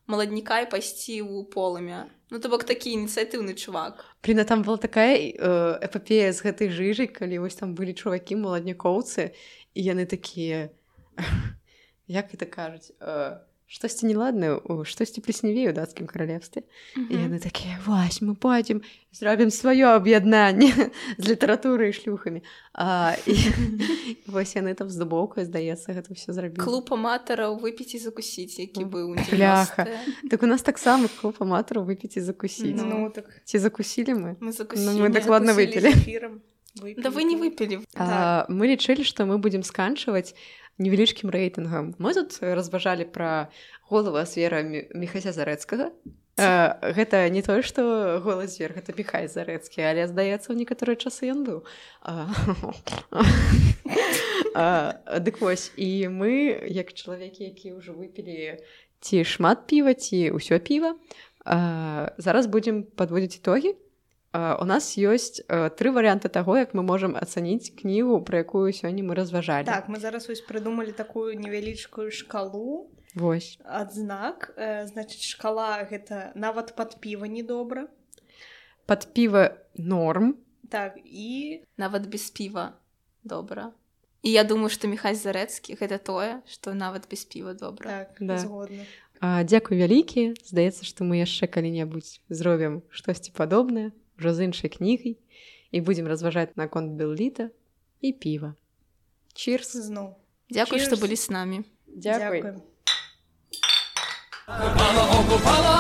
маладніка і пайсці ў полымя. Ну, то бок такі ініцыятыўны чувак. Блин, а там была такая э, эпопея з гэтай жыжай, калі вось там былі чувакі маладнякоўцы, і яны такія, як гэта кажуць, э, штосьці неладнае, штосьці плесневее ў дацкім каралевстве. І яны такія, вось, мы пойдзем, зробім сваё аб'яднанне з літаратурай і шлюхамі. А, і вось яны там з дубоўкай, здаецца, гэта ўсё зрабілі. Клуб аматараў выпіць і закусіць, які быў у Бляха. дзевяностыя. Так у нас таксама клуб аматараў выпіць і закусіць. Ну, так. Ці закусілі мы? Мы Ну, закусілі. мы дакладна Закусілі выпілі. з эфірам. Выпілі. Да вы не выпілі. А, мы лічылі, што мы будзем сканчваць невялічкім рэйтынгам. Мы тут разважалі пра голава звера Мі- Міхася Зарэцкага. А, гэта не тое, што голы звер, гэта Міхай Зарэцкі, але, здаецца, ў некаторыя часы ён быў. А, а, дык вось, і мы, як чалавекі, якія ўжо выпілі ці шмат піва, ці ўсё піва, а, зараз будзем падводзіць ітогі. Uh, у нас ёсць uh, тры варыянты таго, як мы можам ацаніць кнігу, пра якую сёння мы разважалі. Так, мы зараз вось прыдумалі такую невялічкую шкалу. Вось. Адзнак, э, значыць, шкала гэта нават пад піва недобра. Пад піва норм. Так, і Нават без піва добра. І я думаю, што Міхась Зарэцкі гэта тое, што нават без піва добра. так, Да. згодна. Uh, дзякуй вялікі. Здаецца, што мы яшчэ калі-небудзь зробім штосьці падобнае, ўжо з іншай кнігай, і будзем разважаць наконт Белліта і піва. Чірс. Зноў. Дзякуй, што Cheers. былі з намі. Дзякуй. Дзякуем. Ogopala, ogopala,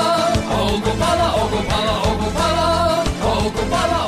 ogopala, ogopala, ogopala, ogopala,